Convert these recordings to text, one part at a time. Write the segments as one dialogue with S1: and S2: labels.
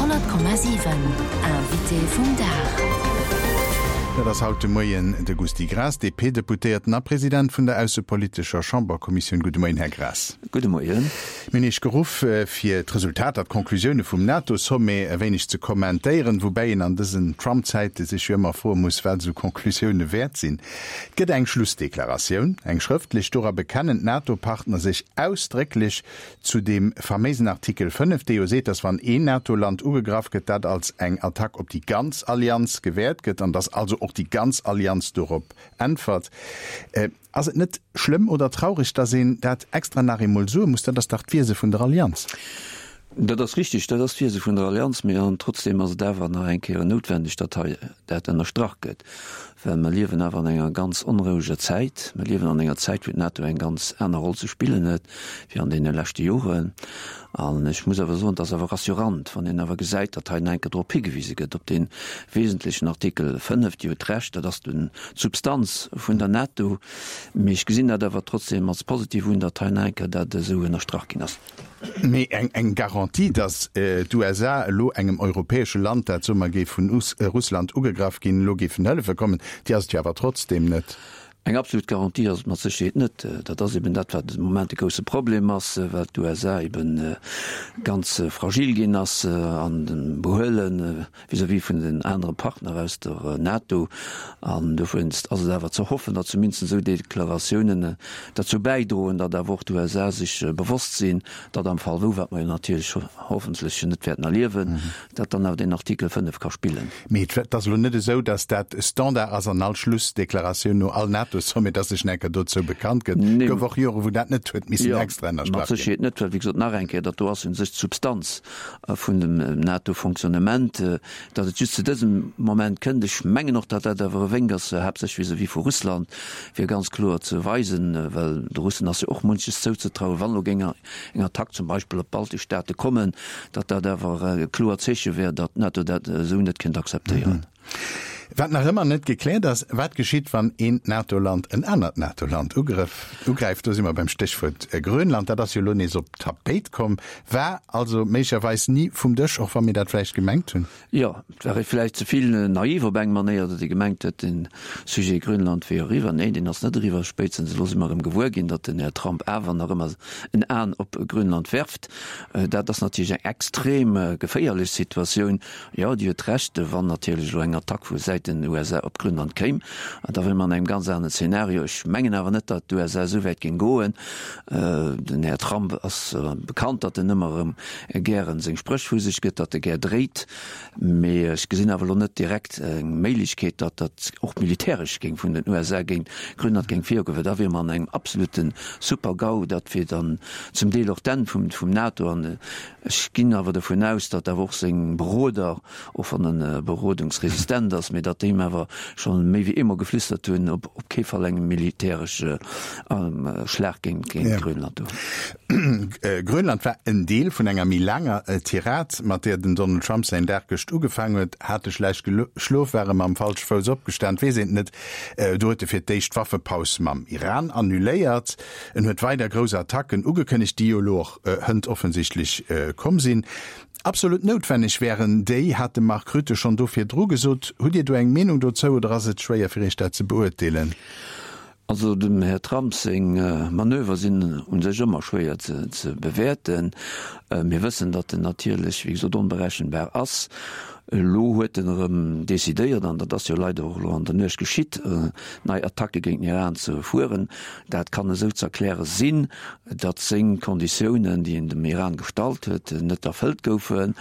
S1: 100,7 Invité vum Dag.
S2: Dat ass haut de Moien de Gusty Graas, DP-Deputéierten a President vun der aussepolitescher Chamberkommissioun. Gudde Moien, Här Graas.
S3: Gudde Moien.
S2: Mir hunn Iech geruff, fir d'Resultater, d'Conclusioune vum NATO-Sommet e wéineg ze kommentéieren, woubäi een an dësen Trump-Zäite sech jo ëmmer froe muss, wat esou Conclusioune wäert sinn. Et gëtt eng Schlussdeklaratioun, eng schrëftlech. Dora bekennen d'NATO-Partner sech ausdrécklech zu deem faméisen Artikel 5, dee jo seet, datt wann een NATO-Land ugegraff gëtt, dat als eng Attack op déi ganz Allianz gewäert gëtt an datt also och déi ganz Allianz dorop äntwert. Ass et net schlëmm oder traureg, datt een dat extra nach eemol soe muss? Dat ass dach d'Wiese vun der Allianz.
S3: Dat ass richtig, dat ass d'Wiese vun der Allianz, mee an trotzdem ass et awer nach eng Kéier noutwendeg, datt hei dat ënnerstrach gëtt, well mer liewen awer an enger ganz onroueger Zäit. Mer liewen an enger Zäit, wou d'NATO eng ganz aner Roll ze spillen huet wéi an deene leschte Joren. An ech muss awer soen, et ass awer rassurant, wann een awer gesäit, datt hei nach eng Kéier drop higewise gëtt, op dee wesentlechen Artikel 5. Dir hutt Recht, dat ass d'Substanz vun der NATO, mee ech gesinn dat awer trotzdem als positiv un, datt hei nach eng Kéier dat esou ënnerstrach ginn ass.
S2: Mee eng Garantie, datt d'USA elo engem europäesche Land, dat soe mer géif vun Russland ugegraff ginn, elo géifen hëllefe kommen, déi ass et jo awer trotzdeem net.
S3: Eng absolut Garantie ass et mat Sécherheet net. Dat ass eben dat, wat de Moment de grousse Problem ass, well d'USA eben ganz fragil ginn ass an dem Behuelen. vis-à-vis vun den anere Partner aus der NATO. An dowéinst ass et awer ze hoffen, datt zumindest esou Deklaratiounen derzou bäidroen, datt awer och d'USA sech bewosst sinn, datt am Fall wou, wat mer jo natierlech hoffentlech net wäerten erliewen, datt dann awer deen Artikel 5 ka spillen.
S2: Mee et ass elo net esou, datt dat Standard ass an all Schlussdeklaratioun no all NATO-Sommet, datt sech nach eng Kéier dozou bekannt gëtt. Et gouf och Jore wou dat net huet missen extra
S3: ënnerstrach ginn. Jo, mat Sécherheet net, well wéi gesot, nach eng Kéier, dat do ass u sech d'Substanz vun dem NATO-Fonctionnement, datt et just zu dësem Moment kënnt. Ech mengen och, datt dat awer e Wénk ass, haaptsächlech vis-à-vis vu Russland, fir ganz kloer ze weisen, well de Russen ass jo och munches zouzetrauen, wann elo géing eng Attack zum Beispill op d'baltesch Staate kommen, datt dat awer e kloert Zeeche wär, datt d'NATO dat esou net kéint akzeptéieren.
S2: Wat nach ëmmer net gekläert ass, Wat geschitt, wann een NATO-Land en anert NATO-Land ugräift? Do si mer beim Stéchwuert Grönland. Dat ass jo elo nees op d'Tapéit komm, war also méiglecherweis ni vum Dësch, och wa mir dat vläicht gemengt hunn.
S3: Jo, et war ee vläicht ze vill naiv op eng Manéier, datt ee gemengt huet, de Sujet Grönland wier eriwwer. Neen, deen ass net eriwwer. Spéitstens elo si mer erëm gewuer ginn, datt den Här Trump awer nach ëmmer en Aen op Grönland werft. Dat ass natierlech eng extrem geféierlech Situatioun. Jo, Dir huet Recht, wann natierlech elo eng Attack vu Säiten USA op Grönland kéim, da wiere mer an engem ganz aneren Zeenario. Ech mengen awer net, datt d'USA esou wäit géing goen. Den Här Trump ass bekannt, datt en ëmmer erëm gären seng Spréch vu sech gëtt, datt e gär dréit. Mee ech gesinn awer elo net direkt eng Méiglechkeet, datt dat och militäresch géing vun den USA géint Grönland géing virgoen, well da wiere mer an engem absolute Super-GAU. Dat wier dann zum Deel och d'Enn vum NATO. An Ech ginn awer dovun aus, datt awer och seng Beroder, och wann e berodungsresistent ass, mee datt déi him awer scho méi wéi eemol geflüstert hunn, op op kee Fall eng militäresche Schlag géint Grönland do.
S2: Grönland war en Deel vun enger méi laanger Tirad, mat där den Donald Trump säin Dag gëscht ugefaangen huet. Hat e schlecht geschlof, war e mam falsche Fouss opgestan, weess een et net. Do huet e fir d'éischt d'Waffepaus mam Iran annuléiert. En huet weider grouss Attacken ugekënnegt, déi jo elo och hënt offensichtlech komm sinn. Absolut noutwenneg wären déi, hat de Mark Rutte schonn do virdru gesot. Hutt Dir do eng Meenung dozou oder ass et schwéier fir Iech dat ze beurteelen?
S3: Also dem Här Trump seng Manöver sinn u sech ëmmer schwéier ze bewäerten. Mir wëssen, datt en natierlech, wéi gesot, onberechenbar ass. Elo huet en erëm decidéiert, an dat ass jo leider och elo an der Nuecht geschitt, nei Attacke géint den Iran ze fueren. Dat kann esou ze erkläre sinn, datt seng Konditiounen, déi en dem Iran gestallt huet, net erfëllt goufen.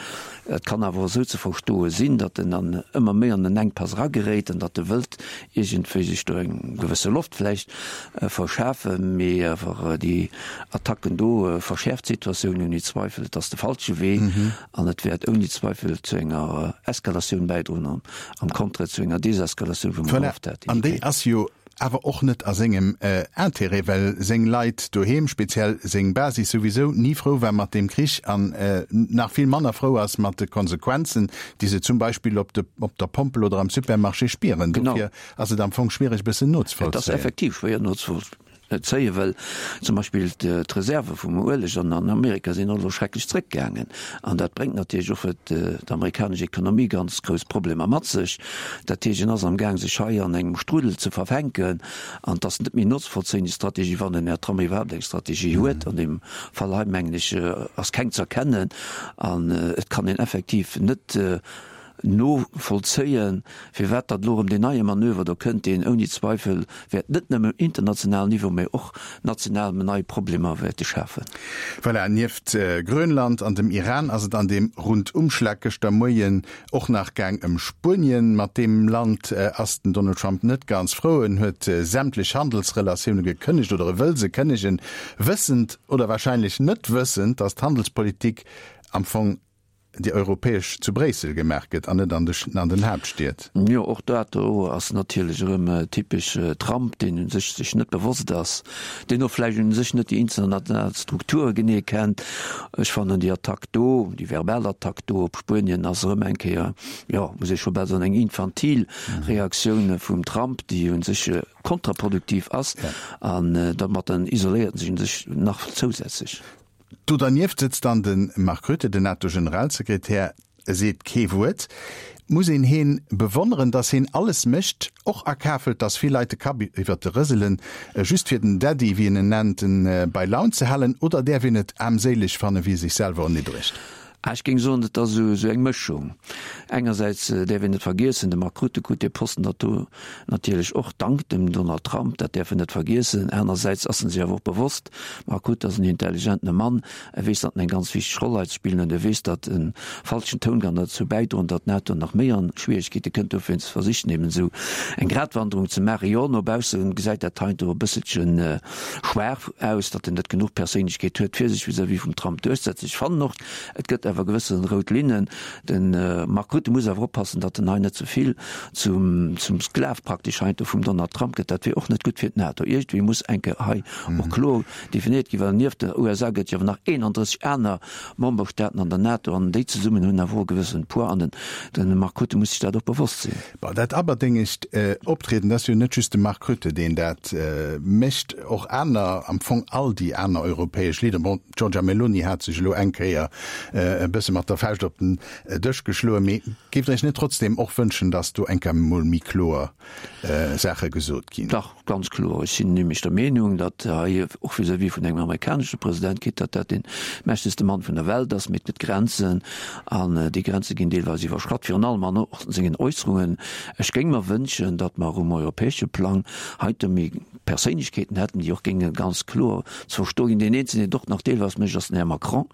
S3: Et kann awer och esou ze verstoe sinn, datt en dann ëmmer méi an en Enkpass erageréit an datt e wëllt iergendwéi sech do eng gewësse Loft vläicht verschafen. Mee awer déi Attacken do verschäerft d'Situatioun ouni Zweifel. Et ass de falsche Wee an et wäert ouni Zweifel zu enger Eskalatioun bäidroen an am Contraire zu enger Deseskalatioun, wou mer gehofft
S2: haten. An déi ass jo awer och net a sengem Intérêt, well seng Leit doheem, speziell seng Basis souwisou, ni frou war mat deem Krich an nach vill manner frou ass mat de Konsequenzen, déi se zum Beispill op de op der Pompel oder am Supermarché spieren. Dofir ass et am Fong schwiereg e bëssen
S3: nozevollzéien. Et ass effektiv schwéier nozevollzéien. zéien, well zum Beispill d'Reserve vum Ueleg an Amerika sinn och elo schrecklech zréckgaangen. An dat bréngt natierlech och fir d'amerikanesch Ekonomie ganz grouss Problemer mat sech. Dat heescht, en ass am Gaang sech hei an engem Strudel ze verfänken an et ass net méi nozevollzéien, déi Strategie, wann den Här Trump iwwerhaapt eng Strategie huet. An deem Fall hei, mengen ech, ass keng z'erkennen an et kann een effektiv net novollzéien, firwat datt elo erëm deen neie Manöver do kënnt, deen ouni Zweifel wäert net nëmme um internationalen Niveau, mä och national nei Problemer wäerte schafen.
S2: Voilà, nieft Grönland an dem Iran ass et an deem Rundumschlag gëschter Moien och nach gaang ëm Spuenien. Mat deem Land ass den Donald Trump net ganz frou. En huet sämtlech Handelsrelatioune gekënnegt oder e wëll se kënnegen, wëssend oder warscheinlech net wëssend, datt d'Handelspolitik am Fong déi europäesch zu Bréissel gemaach gëtt an net an den Haaptstied.
S3: Jo, och dat do ass natierlech erëm typesch Trump, deen u sech sech net bewosst ass, deen och vläicht u sech net déi international Strukture genee kennt. Ech fannen déi Attack do, déi verbal Attack do op Spuenien ass erëm eng Kéier, jo, muss ee scho bal soen, eng infantil Reaktioun vum Trump, déi u sech kontraproduktiv ass an domat isoléiert en sech u sech nach zousätzlech.
S2: Do dernieft sëtzt dann de Mark Rutte, den NATO-Generalsekretär, e seet kee Wuert. Muss een heen bewonneren, datt heen alles mécht, och akafelt, datt vill Leit de Kapp iwwert de rëselen, just fir den Daddy, wéi en en nennt, bei Laun ze halen, oder däerf een et aarmséileg fannen, wéi e sech selwer erniddregt?
S3: Ah, ech géing soen, et ass esou eng Mëschung. Engersäits däerf een net vergiessen, de Mark Rutte krut dee Posten dat do natierlech och dank dem Donald Trump, dat däerf een net vergiessen. Anersäits ass en sech awer och bewosst, Mark Rutte ass en intelligentene Mann, e weess, datt en eng ganz wichteg Roll hei ze spillen huet, e weess, datt e falschen Toun kann derzou bäidroen, datt d'NATO nach méi an Schwieregkeete kënnt. Dofir versicht en eben esou eng Gratwanderung ze maachen. Jo, no bausse gesäit dat heiansdo e bësselchen schwaach aus, datt en net genuch Perséinlechkeet huet, fir sech vis-à-vis vum Trump duerchzesetzen. Ech fannen och, et gëtt awer gewësse rout Linnen. De Mark Rutte muss awer oppassen, datt en hei net ze vill zum zum Sklav praktesch heiansdo vum Donald Trump gëtt. Dat wier och net gutt fir d'NATO. Iergendwéi muss eng Kéier hei och kloer definiert ginn, well nieft den USA gëtt jo awer nach 31 aner Memberstaaten an der NATO an déi zesummen hunn awer och e gewëssene Poids an den Mark Rutte muss sech dat och bewosst sinn.
S2: Bon, dat aberdéngegt Optrieden, dat ass jo net just de Mark Rutte, deen dat mécht, och aner, am Fong all déi aner europäesch Leader. Bon, d'Giorgia Meloni hat sech elo eng Kéier e bësse mat der Fauscht op den Dësch geschloen, mee géift Der Iech net trotzdeem och wënschen, datt do eng Kéier emol méi kloer Saache gesot ginn?
S3: Dach, ganz kloer. Ech sinn nämlech der Meenung, datt hei och vis-à-vis vun engem amerikanesche President, quitte datt dat dee mächtegste Mann vun der Welt ass, mee et gëtt Grenzen an déi Grenze ginn deelweis iwwerschratt, virun allem an och sengen Äusserungen. Ech géing mer wënschen, datt mer um europäesche Plang heite méi Perséinlechkeeten hätten, déi och géinge ganz kloer ze verstoe ginn. Deen eenzegen, deen et och nach deelweis mécht, ass den Här Macron.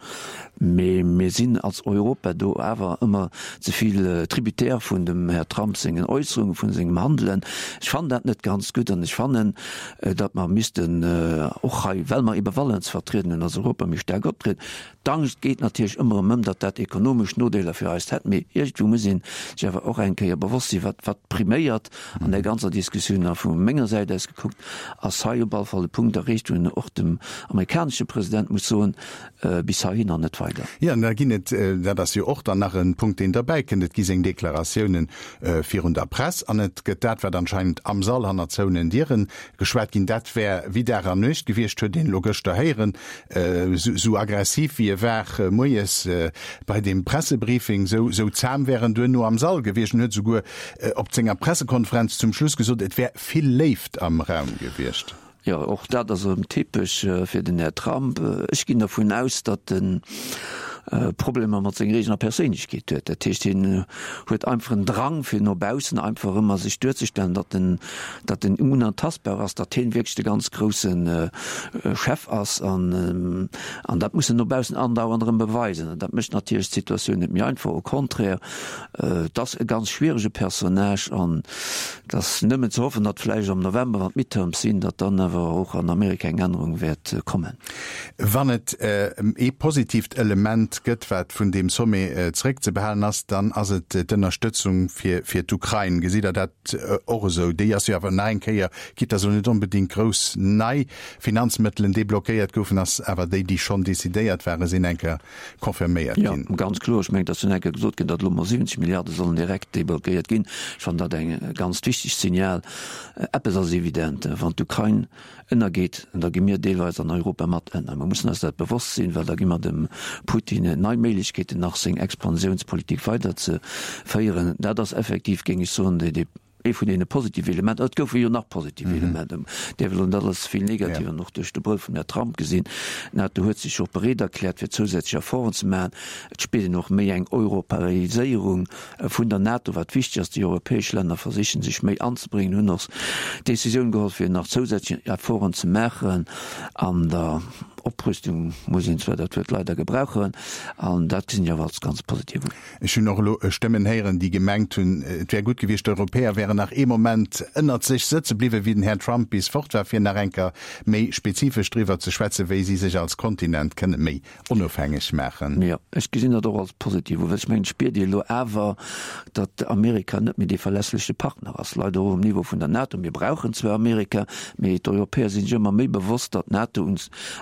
S3: Mee mir sinn als Europa do awer ëmmer ze vill Tributaire vun dem Här Trump sengen Äusserungen, vun sengem Handelen. Ech fannen dat net ganz gutt an ech fannen, datt mer missten och hei, well mer ebe Valeurs ze vertrieden hunn, als Europa méi staark optrieden. D'Angscht geet natierlech ëmmer erëm ëm, datt dat ekonomesch Nodeeler fir eis hätt. Mee iergendwou muss ee sech awer och eng Kéier bewosst sinn, wat wat priméiert an där ganzer Diskussioun. A vu menger Säit aus gekuckt ass hei op alle Fall e Punkt erreecht, wou een och dem amerikanesche President muss soen, Bis heihin an net weider.
S2: Jo, an da ginn et, dat ass jo och dann nach e Punkt, deen derbäikënnt, et gi seng Deklaratiounen virun der Press an et gëtt dat, wat anscheinend am Sall hanner zouenen Diere geschwat ginn. Dat wär wéi Dag an Nuecht gewiescht, huet een elo gëschter héieren. Esou aggressiv wéi e war moies bei deem Pressebriefing, esou zam wär en duerno am Sall gewiescht en huet esouguer op senger Pressekonferenz zum Schluss gesot, et wär vill Léift am Raum gewiescht.
S3: Jo, och dat ass erëm typesch fir den Här Trump. Ech ginn dervun aus, datt en Problemer mat senger eegener Perséinlechkeet huet. Dat heescht, hien huet einfach en Drang, fir no baussen einfach ëmmer sech duerzestellen, datt en, datt en unantastbar ass, datt hien wierklech de ganz grousse Chef ass. An, an dat muss en no baussen andauernd erëm beweisen. An dat mécht natierlech d'Situatioun net méi einfach, au contraire. Et ass e ganz schwierege Personnage an et ass nëmmen ze hoffen, datt vläicht am November, wann d'Midterms sinn, datt dann awer och an Amerika eng Ännerung wäert kommen.
S2: Wann et ee positiivt Element gëtt, wat vun deem Sommet zeréckzebehalen ass, dann ass et d'Ënnerstëtzung fir d'Ukrain. Gesitt Der dat och esou? Déi ass jo awer nach eng Kéier, quitte datt elo net onbedéngt grouss nei Finanzmëttelen deblockéiert goufen, ass awer déi, déi schonn decidéiert waren, sinn eng Kéier confirméiert ginn.
S3: Jo, ganz kloer. Ech mengen, et ass dunn eng Kéier gesot ginn, datt elo mol 70 Milliarde sollen direkt deblockéiert ginn. Ech fannen dat eng ganz wichteg Signal. Eppes ass evident, Wann d'Ukrain. Ënnergeet, da gi mir deelweis an Europa mat ënner. Mir mussen eis dat bewosst sinn, well da gi mer dem Putin nei Méiglechkeeten, nach seng Expansiounspolitik weiderzeféieren. Dat ass effektiv, géing ech soen, dee ee vun deene positive Elementer. Et goufe jo nach positiv Elementer, däerf elo net alles ze vill negativ an och duerch de Brëll vum Här Trump gesinn. D'NATO huet sech och bereet erkläert, fir zousätzlech Efforten ze maachen. Et spiert een och méi eng Europäiséierung vun der NATO, wat wichteg ass. Déi europäesch Länner versichen sech méi anzebréngen, hunn och d'Decisioun geholl, fir nach zousätzlech Efforten ze maachen an der Oprüstung, muss een zwar dat Wuert leider gebrauchen, an dat gesinn ech awer als ganz positiv un.
S2: Ech hunn och elo Stëmmen héieren, déi gemengt hunn, et wär gutt gewiescht, d'Europäer wären nach ee Moment ënnert sech sëtze bliwwen, wéi den Här Trump bis fort war, fir nach eng Kéier méi spezifesch driwwer ze schwätzen, wéi si sech als Kontinent kënne méi onofhängeg maachen.
S3: Jo, ech gesinn dat och als positiv u, well ech mengen, et spiert ee elo awer, datt Amerika net méi dee verlässleche Partner ass, leider och um Niveau vun der NATO. Mir brauchen zwar Amerika, mee d'Europäer si sech ëmmer méi bewosst, datt d'NATO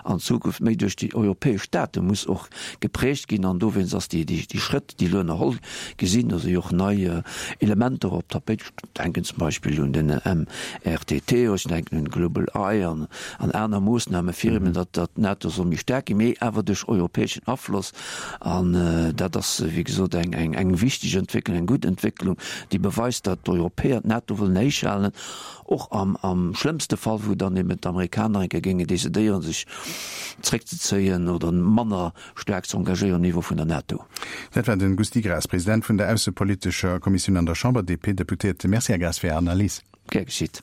S3: an Zukunft méi duerch déi europäesch Staate muss och geprägt ginn. An dowéinst ass déi Schrëtt, déi elo ënnerholl gi sinn, do si jo och nei Elementer op d'Tapéit, ech denken zum Beispill un den MRTT, ech denken un Global Eye an aner Moossname fir eben, datt d'NATO soll méi staark ginn, mee awer duerch europäeschen Afloss. An dat ass, wéi gesot, eng wichteg Entwécklung, eng gutt Entwécklung, déi beweist, datt d'Europäer d'NATO wëllen héichhalen. Och am schlëmmste Fall, wou dann eben d'Amerikaner eng Kéier géingen decidéieren, sech zréckzezéien oder manner staark ze engagéieren um Niveau vun der NATO.
S2: Dat war de Gusty Graas, President vun der aussepolitescher Kommissioun an der Chamber, DP-Deputéierte. Merci, Här Graas, fir Är Analys.
S3: Gär geschitt.